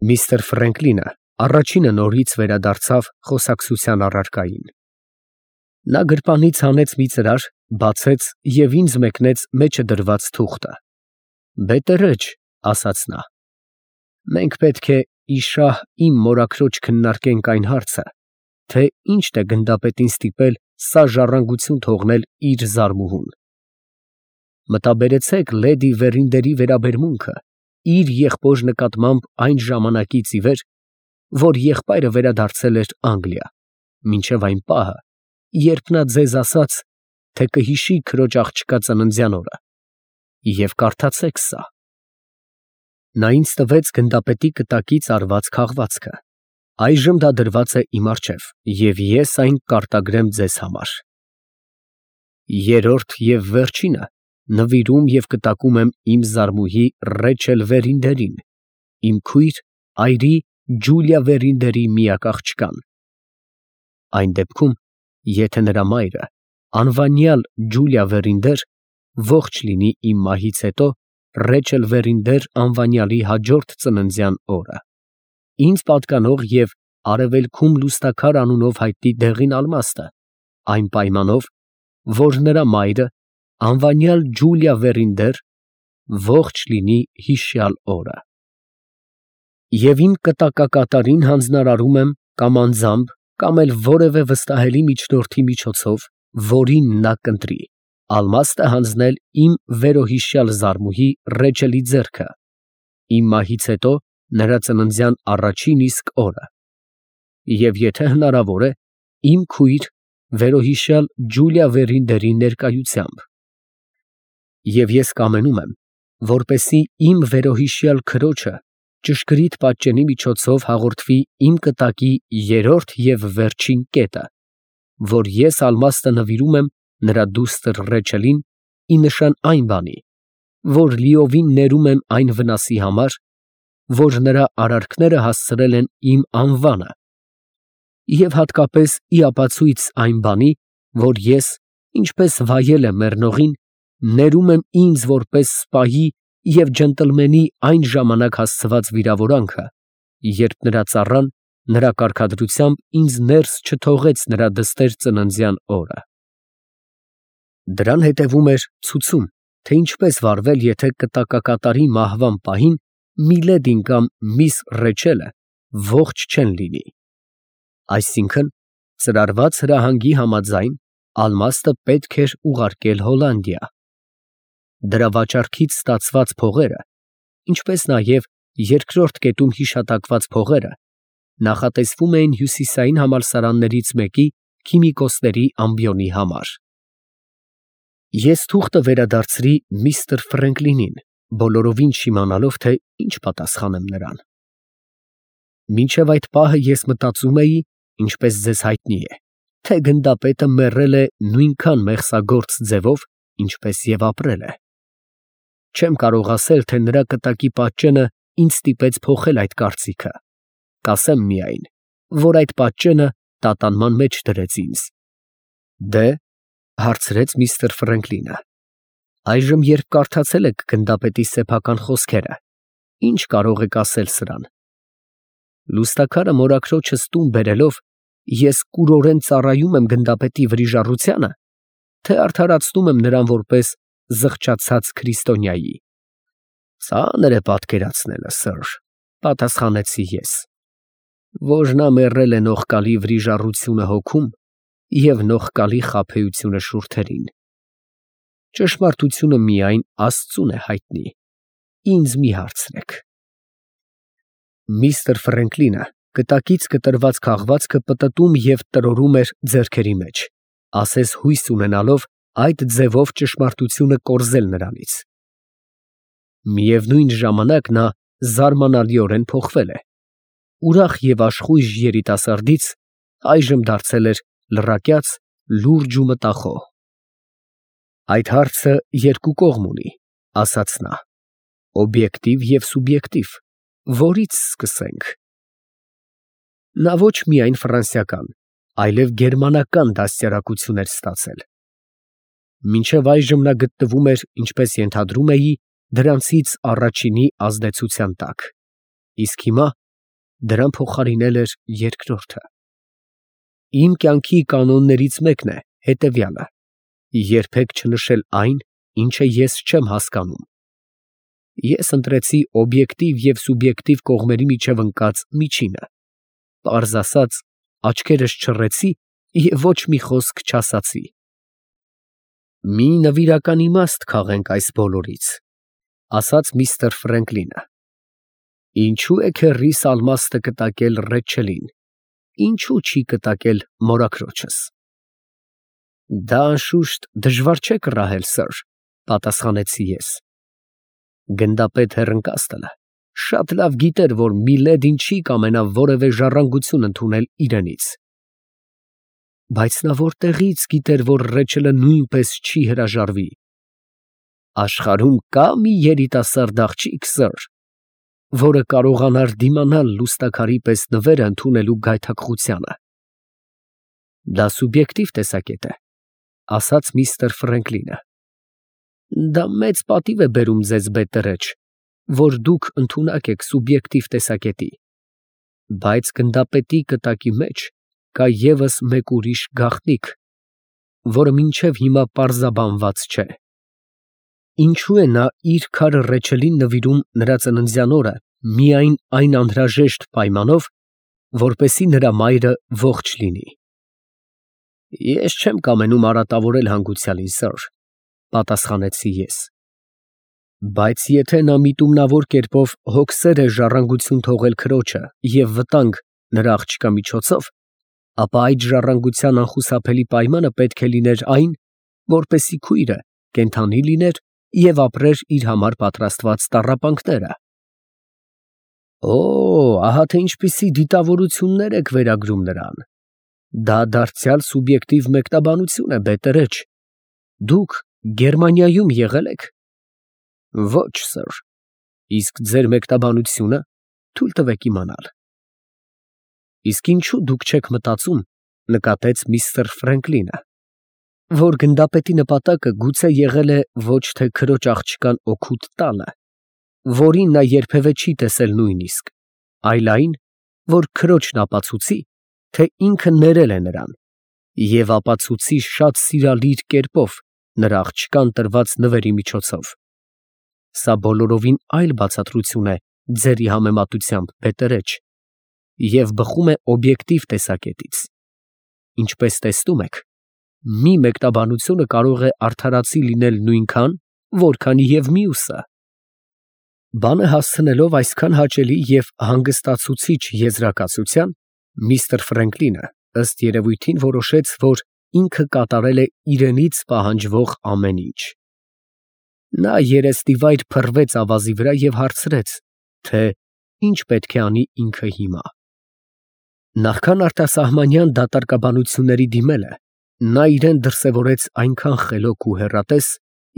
Միստր Ֆրենկլինը առաջինը նորից վերադարձավ խոսակցության առարկային։ Նա գրպանից հանեց մի ծրար, բացեց և ինձ մեկնեց մեջը դրված թուղթը։ «Բետերեջ», ասաց նա, «մենք պետք է իշահ իմ մորաքրոջ քննարկենք այն հարցը, թե ի՞նչն է գնդապետին ստիպել սա ժառանգություն թողնել իր զարմուհուն։ Մտաբերեցեք լեդի Վերինդերի վերաբերմունքը իր եղբոր նկատմամբ այն ժամանակից ի վեր, որ եղբայրը վերադարձել էր Անգլիա, մինչև այն պահը, երբ նա ձեզ ասաց, թե կհիշի քրոջ աղջկա ծննդյան օրը, և կարդացեք սա»։ Նա ինձ տվեց գնդապետի կտակից արված քաղվածքը։ Այժմ դա դրված է իմ առջև, և ես այն կարտագրեմ ձեզ համար։ Երրորդ և վերջինը նվիրում և կտակում եմ իմ զարմուհի Ռեչել Վերինդերին, իմ քույր այրի Ջուլիա Վերինդերի միակ աղջկան։ Այն դեպքում, եթե նրա մայրը, անվանյալ Ջուլիա Վերինդեր, ողջ լինի իմ մահից հետո Ռեչել Վերինդեր անվանյալի հաջորդ ծննդյան օրը, ինձ պատկանող և արևելքում Լուստաքար անունով հայտնի դեղին ալմաստը, այն պայմանով, որ նրա մայրը, անվանյալ Ջուլիա Վերինդեր, ողջ լինի հիշյալ օրը։ Եվ իմ կտակակատարին հանձնարարում եմ կամ անձամբ, կամ էլ որևէ վստահելի միջնորդի միջոցով, որին նա կընտրի, ալմաստը հանձնել իմ վերոհիշյալ զարմուհի Ռեչելի ձեռքը, իմ մահից հետո նրա ծննդյան առաջին իսկ օրը, և եթե հնարավոր է, իմ քույր վերոհիշյալ Ջուլիա Վերինդերի ներկայությամբ։ Եվ ես կամենում եմ, որպեսզի իմ վերոհիշյալ քրոջը ճշգրիտ պատճենի միջոցով հաղորդվի իմ կտակի երրորդ և վերջին կետը, որ ես ալմաստը նվիրում եմ նրա դուստր Ռեչելին ի նշան այն բանի, որ լիովին ներում եմ այն վնասի համար, որ նրա արարքները հասցրել են իմ անվանը, և հատկապես ի ապացույց այն բանի, որ ես, ինչպես վայել եմ մեռնողին, ներում եմ ինձ որպես սպայի և ջենտլմենի այն ժամանակ հասցված վիրավորանքը, երբ նրա ծառան նրա կարգադրությամբ ինձ ներս չթողեց նրա դստեր ծննդյան օրը։ Դրան հետևում էր ցուցում, թե ինչպես վարվել, եթե կտակակատարի մահվան պահին միլեդին կամ միս Ռեչելը ողջ չեն լինի։ Այսինքն, ծրարված հրահանգի համաձայն, ալմաստը պետք էր ուղարկել Հոլանդիա։ Դրա վաճառքից ստացված փողերը, ինչպես նաև երկրորդ կետում հիշատակված փողերը, նախատեսվում էին հյուսիսային համալսարաններից մեկի քիմիկոսների ամբիոնի համար։ Ես թուղթը վերադարձրի միստր Ֆրենկլինին, բոլորովին չիմանալով, թե ինչ պատասխանեմ նրան։ Մինչև այդ պահը ես մտածում էի, ինչպես ձեզ հայտնի է, թե գնդապետը մեռել է նույնքան մեղսագործ ձևով, ինչպես և ապրել է։ Չեմ կարող ասել, թե նրա կտակի պատճենը ինձ ստիպեց փոխել այդ կարծիքը, կասեմ միայն, որ այդ պատճենը տատանման մեջ դրեց ինձ։ Դե, հարցրեց միստր Ֆրենկլինը, այժմ երբ կարդացել եք գնդապետի սեփական խոսքերը, ի՞նչ կարող եք ասել սրան։ Լուստաքարը մորաքրոջս տուն բերելով, ես կուրորեն ծառայում եմ գնդապետի վրիժառությանը, թե արդարացնում եմ նրան որպես զղջացած քրիստոնյայի։ Ծանր է պատկերացնելը, սըր, պատասխանեցի ես, որ նա մեռել է նողկալի վրիժառությունը հոգում և նողկալի խաբեությունը շուրթերին։ Ճշմարտությունը միայն Աստծուն է հայտնի, ինձ մի հարցրեք։ Միստր Ֆրենկլինը կտակից կտրված քաղվածքը պտտում և տրորում էր ձեռքերի մեջ, ասես հույս ունենալով այդ ձևով ճշմարտությունը կորզել նրանից։ Միևնույն ժամանակ նա զարմանալիորեն փոխվել է, ուրախ և աշխույժ երիտասարդից այժմ դարձել էր լռակյաց, լուրջ ու մտախոհ։ Այդ հարցը երկու կողմ ունի, ասաց նա, օբյեկտիվ և սուբյեկտիվ, որի՞ց սկսենք։ Նա ոչ միայն ֆրանսիական, այլև գերմանական դաստիարակություն էր ստացել։ Մինչև այժմ նա գտնվում էր, ինչպես ենթադրում էի, դրանցից առաջինի ազդեցության տակ, իսկ հիմա դրան փոխարինել էր երկրորդը. Իմ կյանքի կանոններից մեկն է հետևյալը. երբեք չնշել այն, ինչը ես չեմ հասկանում։ Ես ընտրեցի օբյեկտիվ և սուբյեկտիվ կողմերի միջև ընկած միջինը, պարզ ասած, աչքերս չռեցի և ոչ մի խոսք չասացի։ Մի նվիրական իմաստ քաղենք այս բոլորից, ասաց միստր Ֆրենկլինը։ Ինչու է քեռիս ալմաստը կտակել Ռեչելին, ինչու չի կտակել մորաքրոջս։ Դա անշուշտ դժվար չէ կռահել, սըր, պատասխանեցի ես։ Գնդապետ Հեռընկաստելը շատ լավ գիտեր, որ Միլեդին չի կամենա որևէ ժառանգություն ընդունել իրենից։ Բայց նա որտեղից գիտեր, որ Ռեչելը նույնպես չի հրաժարվի։ Աշխարհում կա մի երիտասարդ աղջիկ, սըր, որը կարողանար դիմանալ լուստաքարի պես նվերը ընդունելու գայթակղությանը։ Դա սուբյեկտիվ տեսակետ է, ասաց միստր Ֆրենկլինը։ Դա մեծ պատիվ է բերում ձեզ, բետերեջ, որ դուք ընդունակ եք սուբյեկտիվ տեսակետի, բայց գնդապետի կտակի մեջ կա ևս մեկ ուրիշ գաղտնիք, որը մինչև հիմա պարզաբանված չէ։ Ինչու է նա իր քարը Ռեչելին նվիրում նրա ծննդյան օրը միայն այն անհրաժեշտ պայմանով, որպեսզի նրա մայրը ողջ լինի։ Ես չեմ կամենում արատավորել հանգուցյալին, սըր, պատասխանեցի ես։ Բայց եթե նա միտումնավոր կերպով հոգսեր է ժառանգություն թողել քրոջը և վտանգ նրա աղջկա միջոցով, ապա այդ ժառանգության անխուսափելի պայմանը պետք է լիներ այն, որպեսզի քույրը կենդանի լիներ և ապրեր իր համար պատրաստված տառապանքները։ Օ, ահա թե ինչպիսի դիտավորություններ եք վերագրում նրան։ Դա դարձյալ սուբյեկտիվ մեկնաբանություն է, բետերեջ։ Դուք Գերմանիայում եղել եք։ Ոչ, սըր, իսկ ձեր մեկնաբանությունը թույլ տվեք իմանալ։ Իսկ ինչու դուք չեք մտածում, նկատեց միստր Ֆրենկլինը, որ գնդապետի նպատակը գուցե եղել է ոչ թե քրոջ աղջկան օգուտ տալը, որին նա երբևէ չի տեսել նույնիսկ, այլ այն, որ քրոջն ապացուցի, թե ինքը ներել է նրան, և ապացուցի շատ սիրալիր կերպով նրա աղջկան տրված նվերի միջոցով։ Սա բոլորովին այլ բացատրություն է ձերի համեմատությամբ, բետերեջ, և բխում է օբյեկտիվ տեսակետից։ Ինչպես տեսնում եք, մի մեկնաբանությունը կարող է արդարացի լինել նույնքան, որքան և մյուսը։ Բանը հասցնելով այսքան հաճելի և հանգստացուցիչ եզրակացության, միստր Ֆրենկլինը ըստ երևույթին որոշեց, որ ինքը կատարել է իրենից պահանջվող ամեն ինչ։ Նա երեսնիվայր փռվեց ավազի վրա և հարցրեց, թե ինչ պետք է անի ինքը հիմա։ Նախքան արտասահմանյան դատարկաբանությունների դիմելը, նա իրան դրսևորեց այնքան խելոք ու հեռատես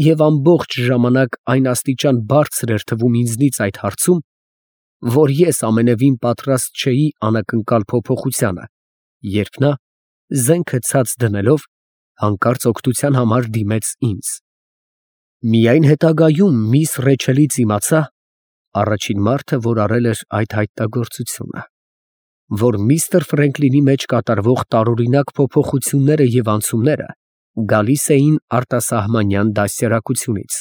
և ամբողջ ժամանակ այն աստիճան բարձր էր թվում ինձնից այդ հարցում, որ ես ամենևին պատրաստ չէի անակնկալ փոփոխությանը, երբ նա, զենքը ցած դնելով, հանկարծ օգնության համար դիմեց ինձ։ Միայն հետագայում միս Ռեչելից իմացա, առաջին մարդը, որ արել էր այդ հայտնագործությունը, որ միստր Ֆրենկլինի մեջ կատարվող տարօրինակ փոփոխությունները և անցումները գալիս էին արտասահմանյան դաստիարակությունից։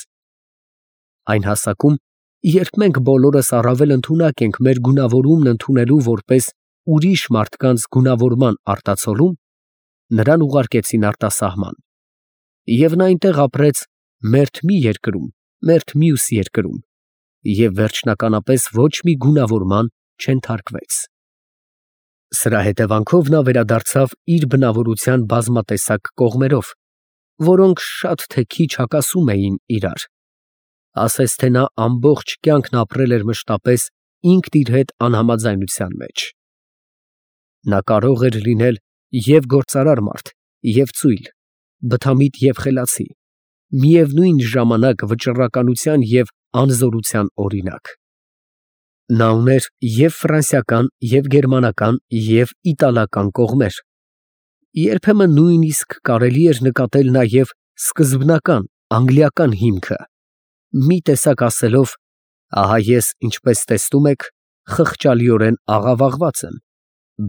Այն հասակում, երբ մենք բոլորս առավել ընդունակ ենք մեր գունավորումն ընդունելու որպես ուրիշ մարդկանց գունավորման արտացոլում, նրան ուղարկեցին արտասահման, և նա այնտեղ ապրեց մերթ մի երկրում, մերթ մյուս երկրում, և վերջնականապես ոչ մի գունավորման չենթարկվեց։ Սրա հետևանքով նա վերադարձավ իր բնավորության բազմատեսակ կողմերով, որոնք շատ թե քիչ հակասում էին իրար, ասես թե նա ամբողջ կյանքն ապրել էր մշտապես ինքն իր հետ անհամաձայնության մեջ։ Նա կարող էր լինել և գործարար մարդ, և ծույլ, բթամիտ և խելացի, միևնույն ժամանակ վճռականության և անզորության օրինակ։ Նա ուներ և ֆրանսիական, և գերմանական, և իտալական կողմեր։ Երբեմն նույնիսկ կարելի էր նկատել նաև սկզբնական անգլիական հիմքը, մի տեսակ ասելով. ահա ես, ինչպես տեսնում եք, խղճալիորեն աղավաղված եմ,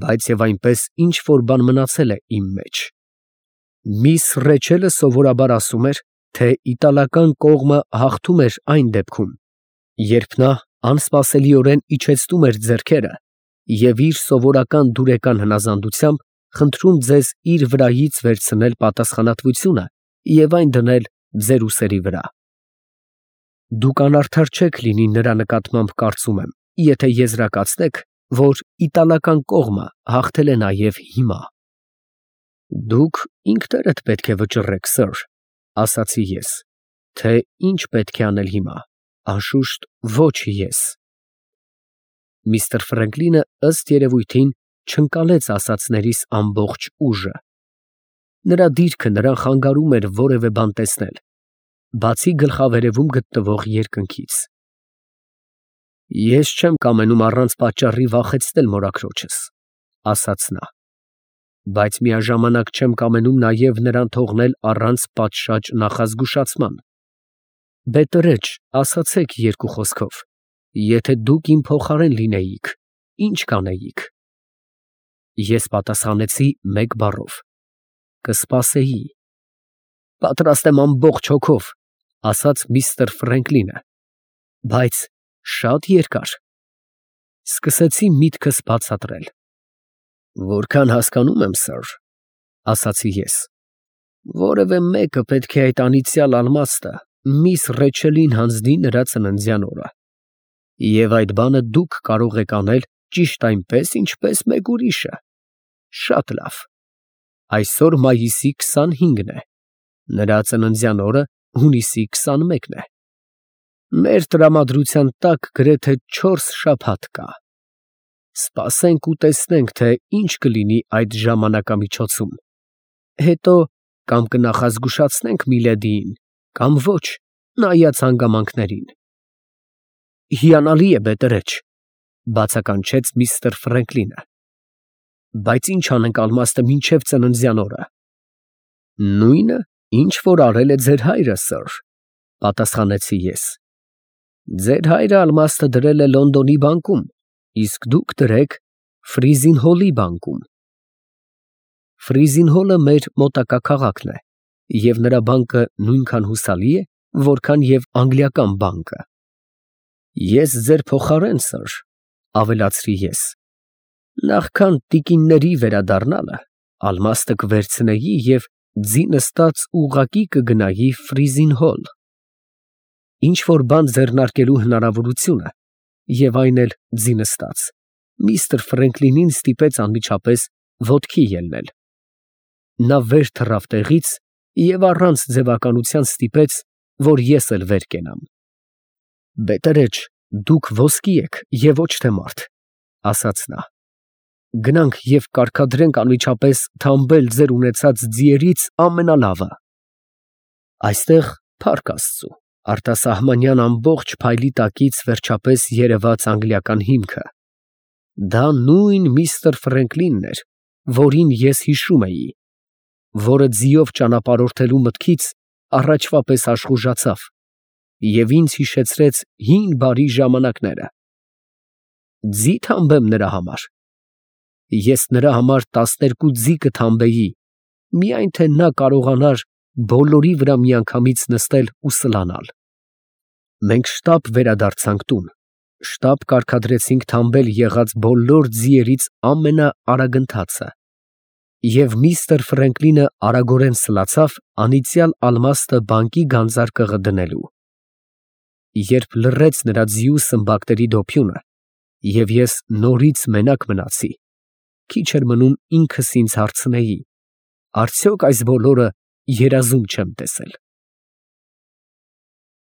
բայց եւ այնպես ինչ որ բան մնացել է իմ մեջ։ Միս Ռեչելը սովորաբար ասում էր, թե իտալական կողմը հաղթում էր այն դեպքում, երբ նա անսպասելիորեն իջեցնում էր ձեռքերը և իր սովորական դուրեկան հնազանդությամբ խնդրում ձեզ իր վրայից վերցնել պատասխանատվությունը և այն դնել ձեր ուսերի վրա։ Դուք անարդար չեք լինի նրա նկատմամբ, կարծում եմ, եթե եզրակացնեք, որ իտալական կողմը հաղթել է նաև հիմա։ Դուք ինքներդ պետք է վճռեք, սըր, ասացի ես, թե ինչ պետք է անել հիմա, անշուշտ ոչ ես։ Միստր Ֆրենկլինը ըստ երևույթին չընկալեց ասածներիս ամբողջ ուժը։ Նրա դիրքը նրան խանգարում էր որևէ բան տեսնել, բացի գլխավերևում գտնվող երկնքից։ Ես չեմ կամենում առանց պատճառի վախեցնել մորաքրոջս, ասաց նա, բայց միաժամանակ չեմ կամենում նաև նրան թողնել առանց պատշաճ նախազգուշացման։ Բետերեջ, ասացեք երկու խոսքով, եթե դուք իմ փոխարեն լինեիք, ինչ կանեիք։ Ես պատասխանեցի մեկ բառով. կսպասեի։ Պատրաստ եմ ամբողջ հոգով, ասաց միստր Ֆրենկլինը, բայց շատ երկար։ Սկսեցի միտքս բացատրել։ Որքան հասկանում եմ, սըր, ասացի ես, որևէ մեկը պետք է այդ անիծյալ ալմաստը միս Ռեչելին հանձնի նրա ծննդյան օրը։ Եվ այդ բանը դուք կարող եք անել ճիշտ այնպես, ինչպես մեկ ուրիշը։ Շատ լավ։ Այսօր մայիսի 25-ն է, նրա ծննդյան օրը հունիսի 21-ն է։ Մեր տրամադրության տակ գրեթե 4 շաբաթ կա։ Սպասենք ու տեսնենք, թե ինչ կլինի այդ ժամանակամիջոցում։ Հետո կամ կնախազգուշացնենք Միլեդիին, կամ ոչ, նայած հանգամանքներին։ Հիանալի է, բետերեջ, բացականչեց միստր Ֆրենկլինը, բայց ինչ անենք ալմաստը մինչև ծննդյան օրը։ Նույնը, ինչ որ արել է ձեր հայրը, սըր, պատասխանեցի ես։ Ձեր հայրը ալմաստը դրել է Լոնդոնի բանկում, իսկ դուք դրեք Ֆրիզինհոլի բանկում։ Ֆրիզինհոլը մեր մոտակա քաղաքն է, և նրա բանկը նույնքան հուսալի է, որքան և անգլիական բանկը։ Ես ձեր փոխարեն, սըր, ավելացրի ես, նախքան տիկինների վերադառնալը, ալմաստը կվերցնեի և ձի նստած ուղղակի կգնայի Ֆրիզինհոլ։ Ինչ որ բան ձեռնարկելու հնարավորությունը, և այն էլ ձի նստած, միստր Ֆրենկլինին ստիպեց անմիջապես ոտքի ելնել։ Նա վեր թռավ տեղից և առանց ձևականության ստիպեց, որ ես էլ վեր կենամ։ Բետերեջ, դուք ոսկի եք և ոչ թե մարդ, ասաց նա։ Գնանք և կարգադրենք անմիջապես թամբել ձեր ունեցած ձիերից ամենալավը։ Այստեղ, փառք Աստծու, արտասահմանյան ամբողջ փայլի տակից վերջապես երևաց անգլիական հիմքը։ Դա նույն միստր Ֆրենկլինն էր, որին ես հիշում էի, որը ձիով ճանապարհորդելու մտքից առաջվա պես աշխուժացավ և ինձ հիշեցրեց հին բարի ժամանակները։ Ձի թամբեմ նրա համար։ Ես նրա համար 12 ձի կթամբեի, միայն թե նա կարողանար բոլորի վրա միանգամից նստել ու սլանալ։ Մենք շտապ վերադարձանք տուն, շտապ կարգադրեցինք թամբել եղած բոլոր ձիերից ամենաարագընթացը, և միստր Ֆրենկլինը արագորեն սլացավ անիծյալ ալմաստը բանկի գանձարկղը դնելու։ Երբ լռեց նրա ձիու սմբակների դոփյունը, և ես նորից մենակ մնացի, քիչ էր մնում ինքս ինձ հարցնեի. արդյոք այս բոլորը երազում չեմ տեսել։